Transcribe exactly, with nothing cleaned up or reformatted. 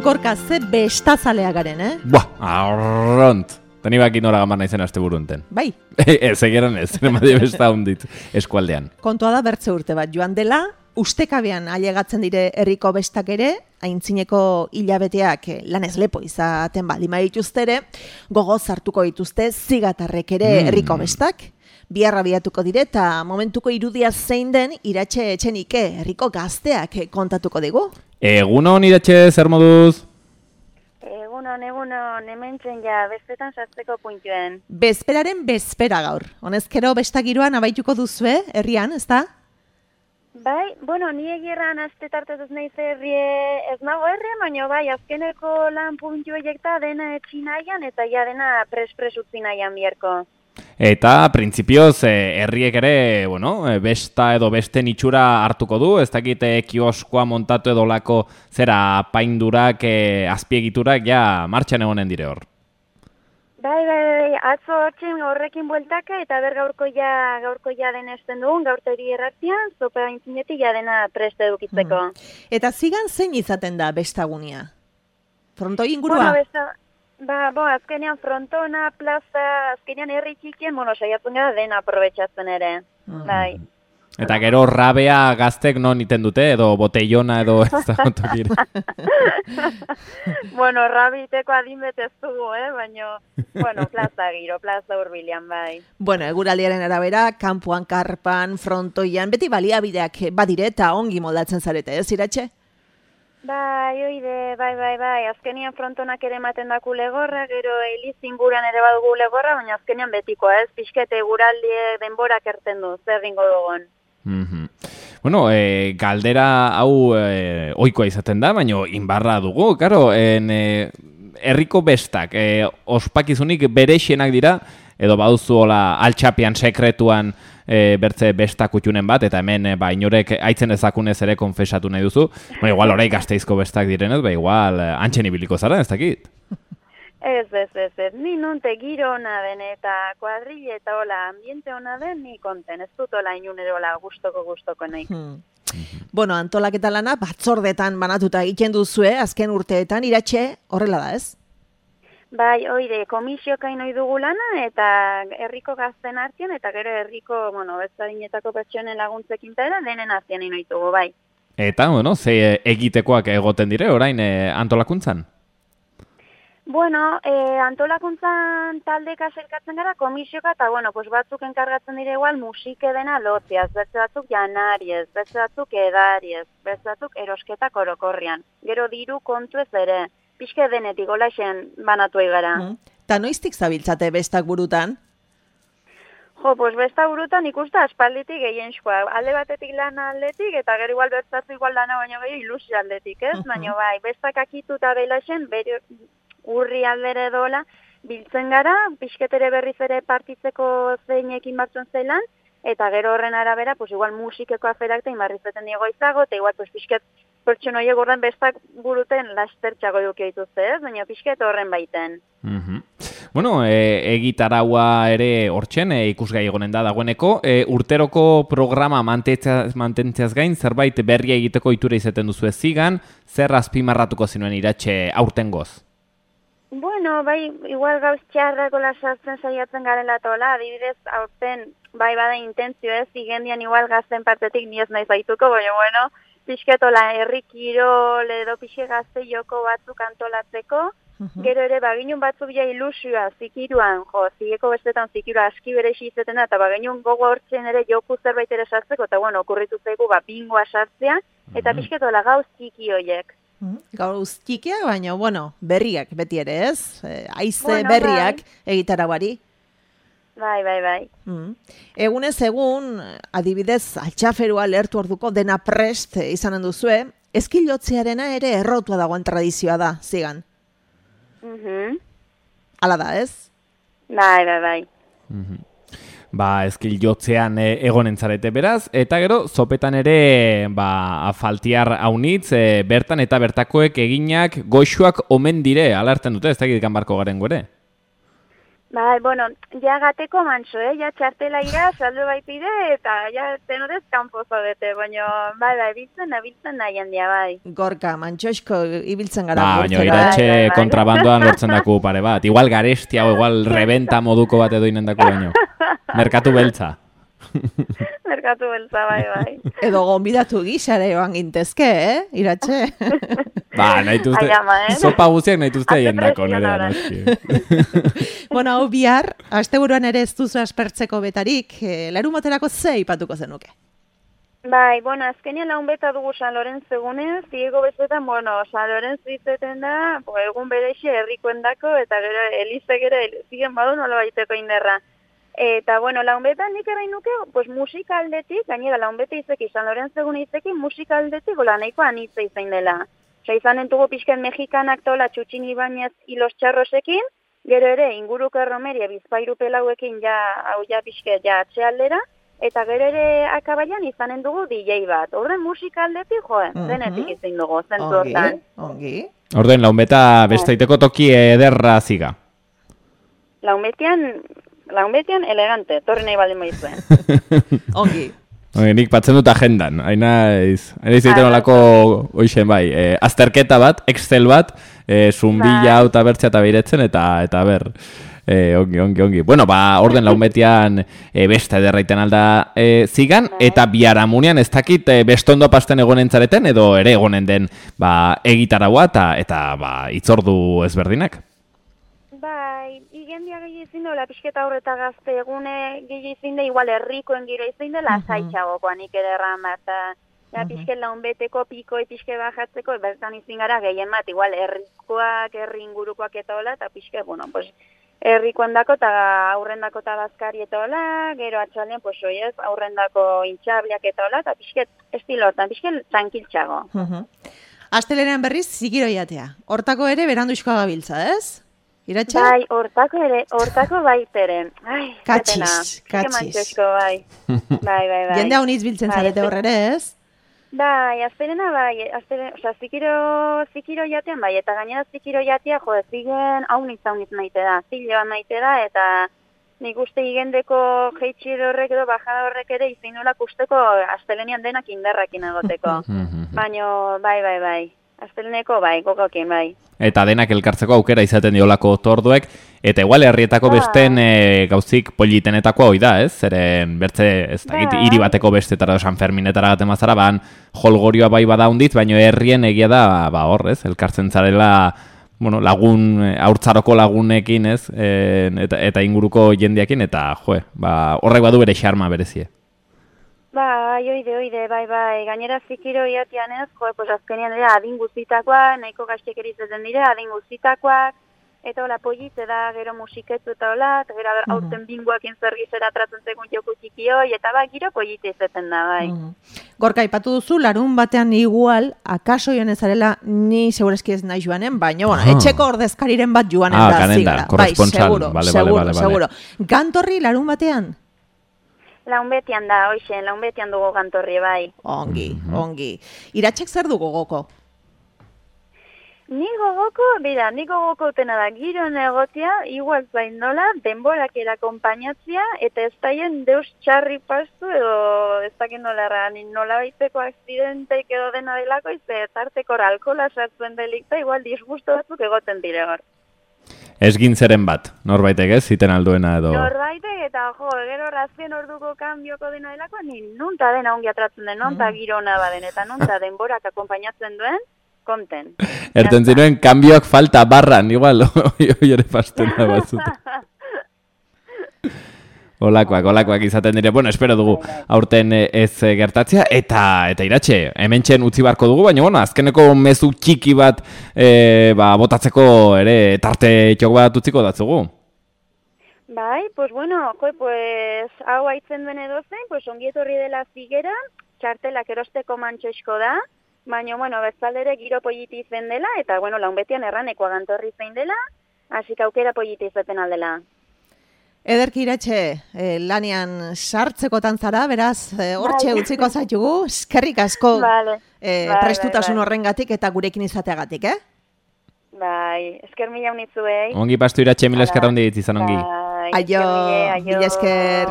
Gorka, ze bestazalea garen, eh? Buah, arront. Tani baki nora gamar naizen aste burunten. Bai. Ez, egeran ez, emadio besta hundit eskualdean. Kontua da bertze urte bat joan dela, ustekabean ailegatzen dire herriko bestak ere, aintzineko hilabeteak lanez lepo izaten balima dituztere, gogoz hartuko dituzte zigatarrek ere herriko bestak, biharra biatuko dire eta momentuko irudia zein den Iratxe Etxenike herriko gazteak kontatuko digu. Egunon Iratxe, zer moduz? Egunon, egunon, hementzen ja, bezpetan sartzeko puntuen. Bezperaren bezpera gaur. Honezkero bestagiroan abaituko duzue, herrian, ezta? Bai, bueno, ni egirran aste tartetuz nahiz herrie ez nago herrian, baina bai, azkeneko lan puntu ejekta dena etxin nahian eta ja dena pres-pres utzi nahian bierko. Eta, printzipioz, herriek ere, bueno, besta edo besten itxura hartuko du, ez dakit kioskoa montatu edo lako zera paindurak, e, azpiegiturak, ja, martxan egonen dire hor. Bai, bai, bai, atzo hortzen horrekin bueltaka eta ber gaurko ja, gaurko ja den esten dugun, gaurteri erratian, zopa intzinetik ja dena preste edukitzeko. Hmm. Eta zigan zein izaten da bestagunia? Frontoi ingurua? Bueno, besta... Ba, bo, azkenean frontona, plaza, azkenean herri txikien, bueno, saiatzen gara dena aprobetxatzen ere, mm. bai. Eta gero rabea gaztek non iten dute, edo botellona, edo ez da gontokire. Bueno, rabiteko adinbet ez dugu, eh, baina, bueno, plaza giro, plaza hurbilean, bai. Bueno, eguraldiaren arabera, kanpoan, karpan, frontoian, beti baliabideak badire eta ongi moldatzen zarete, ez, Iratxe? Bai, oide, bai, bai, bai, azkenian frontonak ere ematen daku legorra, gero Eliz inguran ere badugu legorra, baina azkenian betikoa, ez, pixkete guraldie denborak erten du, zer ringo dugun. Mm-hmm. Bueno, e, galdera hau e, ohikoa izaten da, baina inbarra dugu, karo, en, e, herriko bestak, e, ospakizunik berexienak dira, edo baduzu hola altxapian sekretuan e, bertze besta kutxunen bat, eta hemen e, ba, inorek aitzen ezakunez ere konfesatu nahi duzu. Ba, igual orai Gasteizko bestak direnez, ba, igual antxen ibiliko zara, ez dakit? Ez, ez, ez, ez. Ni nunte giro hona den eta kuadrille eta hola ambiente hona den, ni konten. Ez dut hola inunero hola gustoko gustoko nahi. Hmm. Bueno, antolaketa lana batzordetan banatuta egiten duzue, azken urteetan, Iratxe, horrela da, ez? Bai, oide, komisiokain ohi dugu lana eta herriko gazten artean eta gero herriko, bueno, bezadinetako pertsonen laguntzekin eta denen artean ino ditugu, bai. Eta, bueno, ze egitekoak egoten dire, orain e, antolakuntzan? Bueno, e, antolakuntzan taldeka zelkatzen gara komisioka eta, bueno, pues batzuk enkargatzen dire igual musike dena lotziaz, beste batzuk janariez, beste batzuk edariez, beste batzuk erosketak orokorrian. Gero diru kontu ez ere. Pixke denetik, olaxen banatu egara. Mm. Ta noiztik zabiltzate bestak burutan? Jo, pues besta burutan ikusta aspalditik gehienskoa. Alde batetik lan aldetik, eta gero igual bertzatu igual lana baino gehiago ilusio aldetik, ez? Baina bai, bestak akitu eta belaxen, bere urri aldere dola, biltzen gara, pixketere berriz ere partitzeko zeinekin batzuen zeilan, eta gero horren arabera, pues igual musikeko aferak eta inbarrizeten diego izago, eta igual pues pixket pertson horiek horren bestak buruten lastertxago duke dituzte, ez? Baina pixket horren baiten. Mm-hmm. Bueno, e, egitaraua ere hortzen, e, ikusgai egonen da dagoeneko, e, urteroko programa mantentzeaz gain, zerbait berria egiteko itura izaten duzu ez zigan, zer azpimarratuko zinuen Iratxe aurtengoz? Bueno, bai, igual gauz txarrako lasartzen saiatzen garela tola, adibidez, aurten, bai, bada intentzio ez, igendian igual gazten partetik ni ez nahi zaituko, baina, bueno, pixketola herri kirol edo pixe gazte joko batzuk antolatzeko, uh-huh. Gero ere baginun batzuk ja ilusioa zikiruan, jo, zigeko bestetan zikirua aski berexi izaten da, eta baginun gogo hortzen ere joku zerbait ere sartzeko, eta bueno, okurritu zaigu ba, bingoa sartzea, eta uh-huh. Pixketola gauz txiki hoiek. Uh-huh. Gauz txikiak, baina, bueno, berriak beti ere ez, e, aize bueno, berriak bai. Egitaraguari. Bai, bai, bai. Mm. Egunez egun, adibidez, altxaferua lehertu orduko dena prest izanen duzue, eskilotzearena ere errotua dagoen tradizioa da, zigan. Mhm. Hala da, ez? Bai, bai, bai. Mhm. Ba, eskilotzean e, egonen zarete beraz, eta gero, zopetan ere, ba, faltiar haunitz, e, bertan eta bertakoek eginak goxuak omen dire, alarten dute, ez da egitekan barko garen gore? Bai, bueno, ja gateko manso, eh? Ja txartela ira, saldo baitire, eta ja tenorez kanpo zaudete, baina, bai, bai, biltzen, abiltzen nahi handia, bai. Gorka, mantxosko ibiltzen gara. Ba, baina gurtzera, iratxe bai, bai, bai. kontrabandoan lortzen daku pare bat. Igual garestia o igual rebenta moduko bat edo inen daku baino. Merkatu beltza. Merkatu beltza, bai, bai. Edo gonbidatu gizare joan gintezke, eh? Iratxe. Ba, nahi duzte, Ai, ama, eh? sopa guziak nahi duzte Hace hien dako presión nire ahora. noski. Bueno, hau bihar, asteburuan ere ez duzu aspertzeko betarik, eh, larumaterako ze ipatuko zenuke? Bai, bueno, azkenean laun beta dugu San Lorenz egunez, ziego bezetan, bueno, San Lorenz ditzeten da, bo, egun bereixe herrikoendako, eta gero elizek ere zigen badu nola baiteko inderra. Eta, bueno, laun betan nik erain nuke, pues musika aldetik, gainera laun beta izeki, San Lorenz egun izekin, musika aldetik, gola nahiko anitza izain dela. Osa, izan entugu pixken mexikanak tola Txutxin Ibañez hilos txarrosekin, gero ere inguruko erromeria bizpairu pelauekin ja, hau ja pixke, ja atxealdera, eta gero ere akabaian izanen dugu D J bat. Orden musika aldetik, joe, Mhm. denetik izin dugu, zentu Ongi, hortan. ongi. Orden, launbeta besteiteko toki ederra ziga. Launbetian, launbetian elegante, torri nahi baldin maizuen. Ongi. Oye, nik batzen dut agendan, haina iz, haina izaiten Ah, olako oixen bai, e, azterketa bat, Excel bat, e, zumbila Bai. hau eta bertzea eta beiretzen, eta, eta ber, e, ongi, ongi, ongi. Bueno, ba, orden launbetian e, beste ederraiten alda e, zigan, Bai. eta biharamunean ez dakit e, bestondo pasten egonen zareten, edo ere egonen den ba, egitaragoa eta, eta ba, itzordu ezberdinak. Bai, igendia gehi izin dola, pixketa horreta gazte egune gehi izin da, igual herrikoen gira izin dela, Mhm. zaitxagokoan ikererra bat, eta ja, pixke launbeteko, pikoi, pixke bajatzeko, bertan izin gara gehien bat, igual herrikoak, herri ingurukoak eta hola, eta pixke, bueno, pues, herrikoendako eta aurrendako eta bazkari eta hola, gero atxaldean, pues, oiez, aurrendako intxabliak eta hola, eta pixke estilotan, pixke tranquiltxago. Mhm. Astelenean berriz zigiroiatea. Hortako ere beranduizkoa gabiltza, ez? Iratxe? Bai, hortako ere, hortako baitere. Ai, Katxiz, zetena. katxiz. Mantxosko, bai. Bai, bai, bai. Jende hau niz biltzen Bai, zarete ez- horrere, ez? Bai, azterena bai, azteren, osea, zikiro, zikiro jatean bai, eta gainera zikiro jatea, jo, zigen haunitz haunitz maite da, ziloan maite da, eta nik uste igendeko jeitxir horrek edo bajada horrek ere izin nolak usteko astelenean denak indarrakin egoteko. Baina, bai, bai, bai, asteleneko bai, gogokin bai. Eta denak elkartzeko aukera izaten diolako torduek, eta igual herrietako Bai. besten e, gauzik politenetako hoi da, ez? Zeren bertze, ez dakit, Bai. hiri bateko bestetara, San Ferminetara gaten mazara, ban jolgorioa bai bada hundit, baina herrien egia da, ba hor, ez? Elkartzen zarela, bueno, lagun, eh, haurtzaroko lagunekin, ez? E, eta, eta inguruko jendeakin, eta, joe, ba, horrek badu bere xarma berezie. Bai, oide, oide, bai, bai, gainera zikiro iatian ez, jo, pues azkenean dira adin guztitakoak, nahiko gaztek erizaten dira, adin guztitakoak, eta hola politze da, gero musiketu eta hola, eta gero Mhm. aurten bingoakin zergizera tratzen zegoen joku txikioi, eta bai, giro politze izaten da, bai. Mhm. Gorka, ipatu duzu, larun batean igual, akaso joan ezarela, ni segureski ez nahi joanen, baina, bueno, Ah. etxeko ordezkariren bat joanen Ah, da kanenda, zigara. Bai, korresponsal. seguro, Vale, vale, seguro, vale, vale. seguro. Gantorri larun batean? Launbetian da, hoixen, launbetian dugu gantorri, bai. Ongi, Mhm. ongi. Iratxek zer du gogoko? Ni gogoko, bera, ni gogoko utena da, giron egotea, igual zain nola, denborak erakompainatzia, eta ez daien deus txarri pastu, edo ez dakin nola erran, nola baiteko akzidenteik edo dena delako, izte, tarteko alkola sartzen delikta, igual disgusto batzuk egoten dire hor. Ez gintzeren bat, norbaitek ez, ziten alduena edo... Norbaitek eta jo, gero razken orduko kanbioko dena delako, ni nunta dena ongi atratzen den, nunta girona baden, eta nunta denborak akompainatzen duen, konten. Erten zinuen, kanbioak falta barran, igual, hoi ere pasten da batzut. Olakoak, olakoak izaten dire. Bueno, espero dugu aurten eh, ez eh, gertatzea. Eta eta iratxe, hementxen utzi barko dugu, baina bueno, azkeneko mezu txiki bat eh, ba, botatzeko ere tarte txok bat utziko datzugu. Bai, pues bueno, jo, pues hau haitzen duen edozein, pues ongietorri dela zigera, txartelak erosteko mantxoizko da, baina, bueno, bezaldere giro politi izen dela, eta, bueno, launbetian erranekoa gantorri zein dela, hasi aukera politi izaten aldela. Ederki Iratxe, eh, lanian sartzekotan zara, beraz, eh, hortxe Bai. utziko zaitugu, eskerrik asko Vale. eh, Bai, prestutasun bai, bai. horrengatik eta gurekin izateagatik, eh? Bai, esker mila unitzuei. Ongi pastu iratxe, mila eskerra hondi izan ongi. Bai. Bai, Aio, esker, Miguel, aio. mila esker.